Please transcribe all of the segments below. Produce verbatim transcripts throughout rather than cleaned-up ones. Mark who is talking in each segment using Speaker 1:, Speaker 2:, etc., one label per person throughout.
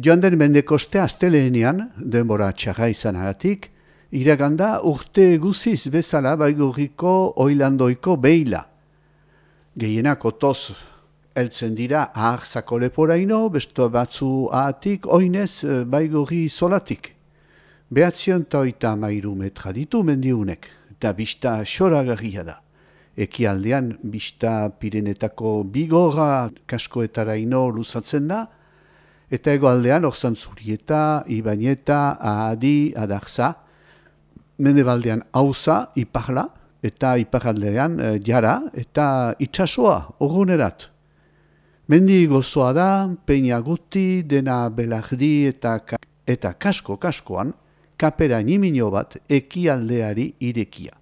Speaker 1: Joan den mendekoste asteleenean, denbora txarra izanagatik, iraganda urte guziz bezala Baigorriko oilandoiko beila. Gehienak otoz heltzen dira aharzako leporaino, beste batzu ahatik, oinez Baigorri solatik. Behatzion eta oita mairu metra ditu mendiunek, eta bista xoragarria da. Ekialdean bista Pirenetako bigorra kaskoetaraino luzatzen da, eta egoaldean Orzantzurieta, Ibañeta, Ahadi, Adarza, mendebaldean Auza, Iparla, eta iparaldean e, Jara, eta itsasoa, urrunerat. Mendi gozoa da, Peña Guti, Dena Belardi eta, eta kasko-kaskoan, kapera nimino bat ekialdeari irekia.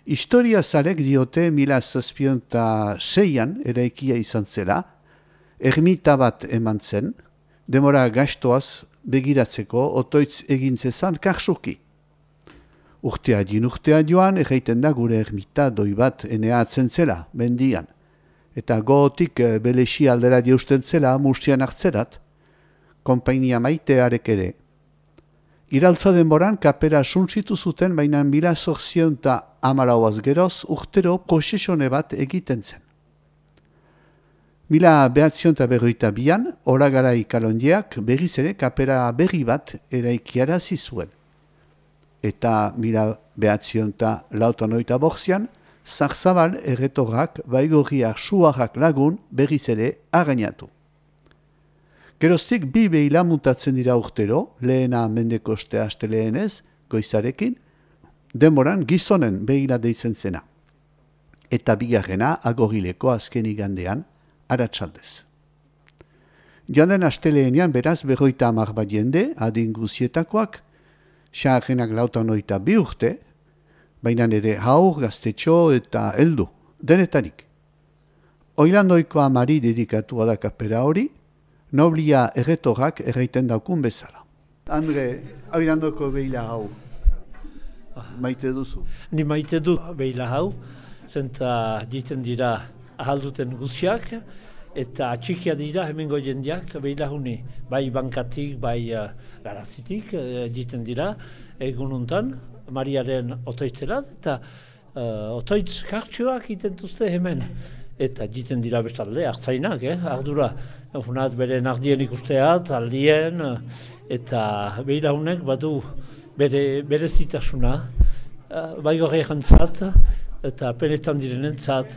Speaker 1: Historia zarek diote mila zazpion eta seian eraikia izan zela, ermita bat eman zen, demora gastoaz begiratzeko otoitz egintzezan karsuki. Urtea din urtea joan, erraiten da gure ermita doi bat eneatzen zela, mendian. Eta gogotik belexi aldera dieusten zela mustian hartzerat, konpainia maitearek ere. Iraltza denboran kapera suntzitu zuten, baina mila zorzion eta amalauaz geroz urtero prosesone bat egiten zen. Mila behatzion eta berroita bian, Olagarai kalondiak berriz ere kapera berri bat eraikiarazi zuen. Eta mila behatzion eta lautan oita borzian, Zarzabal erretorrak Baigorriak suarrak lagun berriz ere againatu. Geroztik bi behila mutatzen dira urtero, lehena mendekoste asteleenez, goizarekin, denboran gizonen behila deitzen zena. Eta bigarrena agorileko azken igandean, aratsaldez. Joan den asteleenean beraz berroita hamar bat jende, adin guzietakoak, xaharrenak lautan oita bi urte, baina ere haur, gaztetxo eta heldu, denetarik. Oilandoiko amari dedikatua da kapera hori, noblia erretorrak erraiten daukun bezala. Andre, oilandoko behila hau, maite duzu?
Speaker 2: Ni maite du behila hau, zenta diten dira ahalduten guziak, eta atxikia dira hemengo jendeak behila huni, bai bankatik, bai uh, garazitik, uh, diten dira, egun untan, Mariaren otoitzerat, eta uh, otoitz kartxoak itentuzte hemen. Eta diten dira bestalde, hartzainak, eh? Ardura, funat bere nardien ikusteat, aldien, eta behila hunek badu bere, bere zitasuna, uh, Baigorri jantzat, eta penetan direnentzat,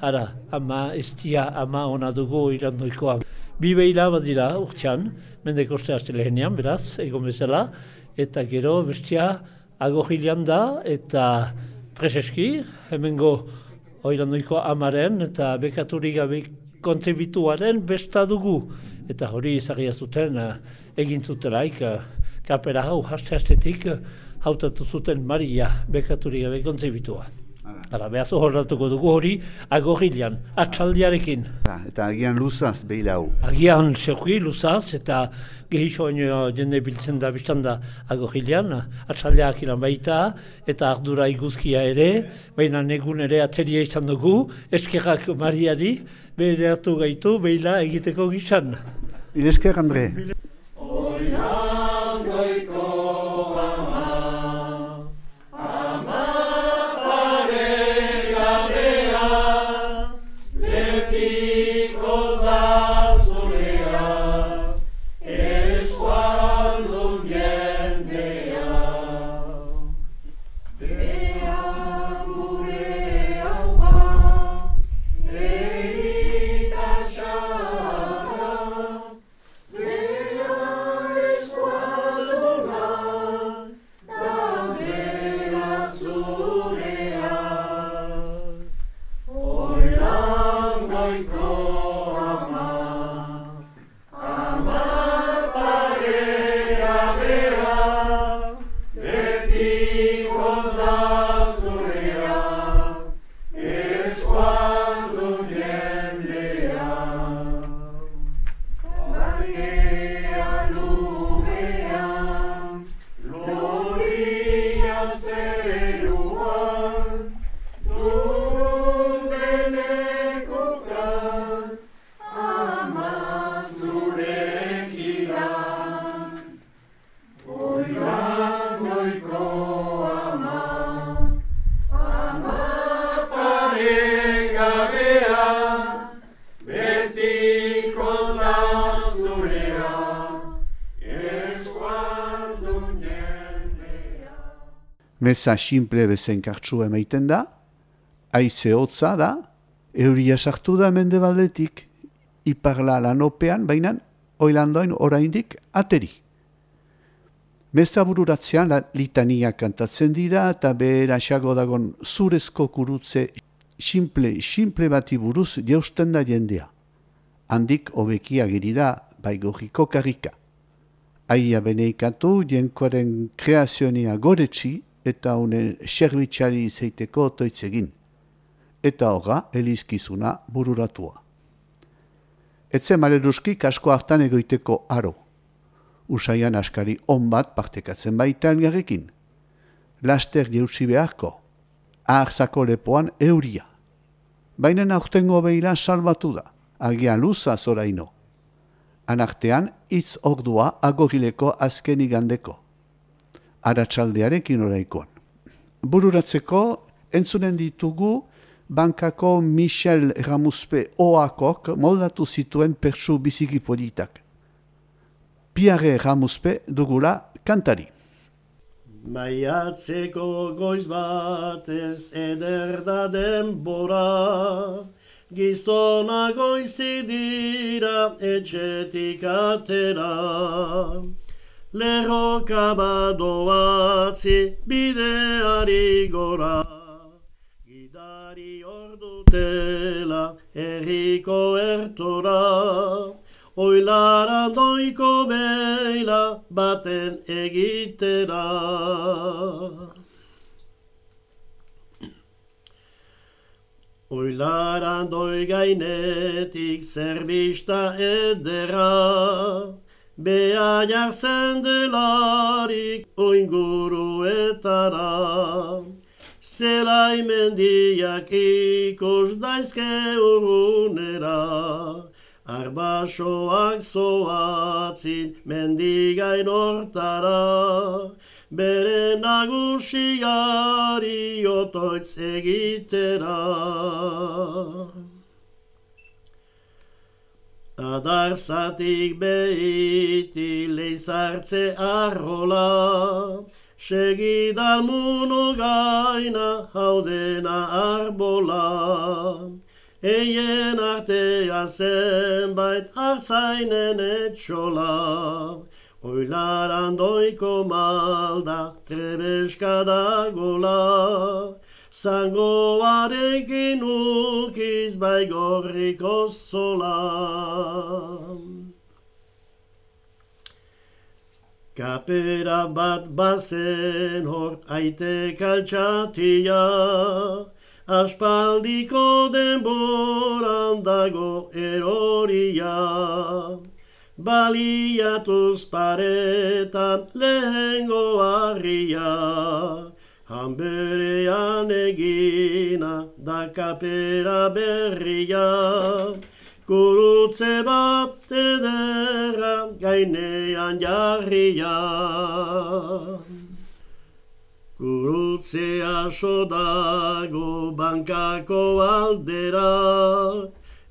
Speaker 2: ara, ama estia, ama ona dugu irandoikoa. Bi behila bat dira urtean, mendekoste astelehenean, beraz, egon bezala, eta gero bestia agorrilean da, eta preseski, hemengo oirandoiko amaren eta bekaturik gabe kontzebituaren besta dugu. Eta hori izagia zuten uh, egin zutelaik uh, kapera hau haste-hastetik uh, hautatu zuten Maria bekaturik gabe kontzebitua. Hala, behaz horratuko dugu hori agorrilean, atxaldiarekin.
Speaker 1: Eta agian luzaz behila hau?
Speaker 2: Agian sekuki luzaz eta gehisoaino jende biltzen da biztan da agorrilean, atxaldeak ilan baita eta ardura iguzkia ere, baina negun ere atzeria izan dugu, eskerrak Mariari bere hartu gaitu behila egiteko gizan.
Speaker 1: Esker, Andre.
Speaker 3: Deo
Speaker 1: Meza simple bezen kartsua emaiten da, haize hotza da, euria sartu da mendebaldetik, iparla lanopean, baina oilandoin oraindik ateri. Meza bururatzean litania kantatzen dira eta beheraxago dagon zurezko kurutze simple, simple bati buruz jausten da jendea. Handik hobeki agirira baigorriko karrika. Aia beneikatu jenkoaren kreazionia goretsi eta honen serbitxari izaiteko toitzegin. Eta horra, elizkizuna bururatua. Etze maleruski kasko hartan egoiteko aro. Usaian askari on bat partekatzen baita elgarrekin. Laster jeutsi beharko, aharzako lepoan euria. Baina aurtengo behila salbatu da, agian luza zoraino. Anartean, hitz ordua agorileko azken igandeko. Aratsaldearekin oraikoan. Bururatzeko, entzunen ditugu, bankako Michel Ramuzpe oakok moldatu zituen pertsu biziki politak. Pierre Ramuzpe dugula kantari.
Speaker 3: Maiatzeko goiz batez eder da denbora, gizona goizi dira etxetik atera. Lerroka badoatzi bideari gora, gidari ordutela herriko ertora, oilara doiko beila baten egitera. Oilara doi gainetik zerbista edera, bea jartzen delarik oinguruetara. Zelai mendiak ikus daizke urrunera, arbasoak zoatzin mendigain hortara, bere nagusiari otoitz egitera. Adarzatik behiti leizartze arrola, segidal muno gaina haudena arbola. Eien artea zenbait arzainen etxola, oilaran doiko malda trebeska dagola, zangoarekin ukiz baigorriko zola. Kapera bat bazen hor aite kaltxatia, aspaldiko denboran dago eroria. Baliatuz paretan lehengo harria, hanberean egina da kapera berria. Kurutze bat ederra gainean jarria. Kurutzea sodago bankako aldera,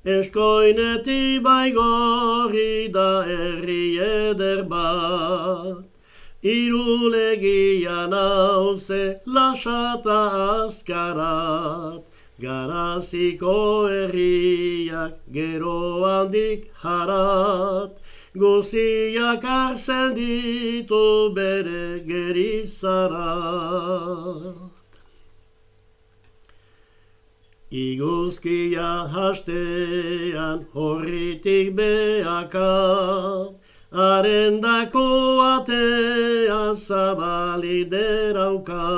Speaker 3: eskoineti baigorri da herri eder bat. Irulegia nauze lasata azkarat, garaziko herriak gero handik harat, guziak arzen ditu bere gerizarat. Iguzkia hastean horritik beaka, arendako atea zabali derauka.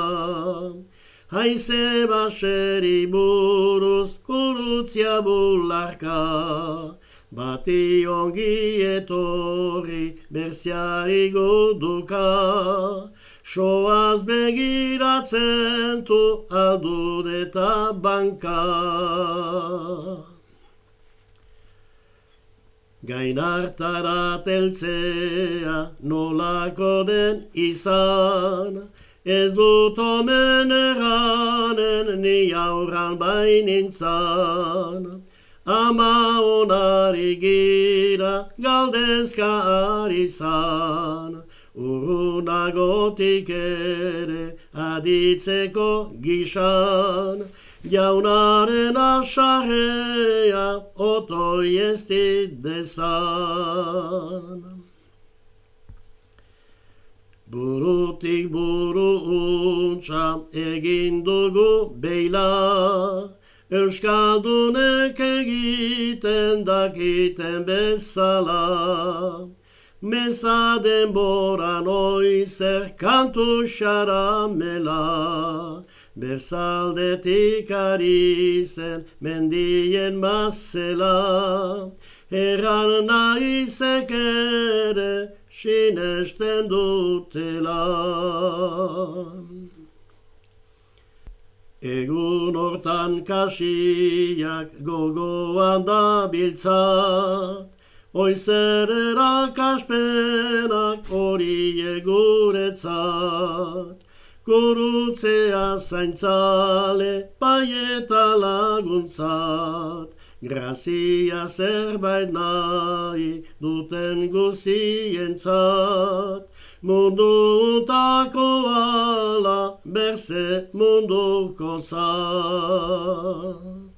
Speaker 3: Haize baseri buruz kurutzia bularka, bati ongi etorri berziari guduka. Soaz begiratzen tu aldud eta banka. Gainartara teltzea nolako den izan, ez dut omen erranen ni aurran bainintzan. Ama onari gira galdezka ari zan, Urrunagotik ere aditzeko gixan, jaunaren asarrea otoi ez dezan. Burutik buru untxa egin dugu beila, Euskaldunek egiten dakiten bezala. Meza denboran oizer kantu xaramela, Berzaldetik ari zen mendien mazela, Erran naizek ere sinesten dutela. Egun hortan kasiak gogoan dabiltza, Oizer erakaspenak hori guretzat, Gurutzea zaintzale bai eta laguntzat, Grazia zerbait nahi duten guzientzat, Mundu untako ala berze munduko zat.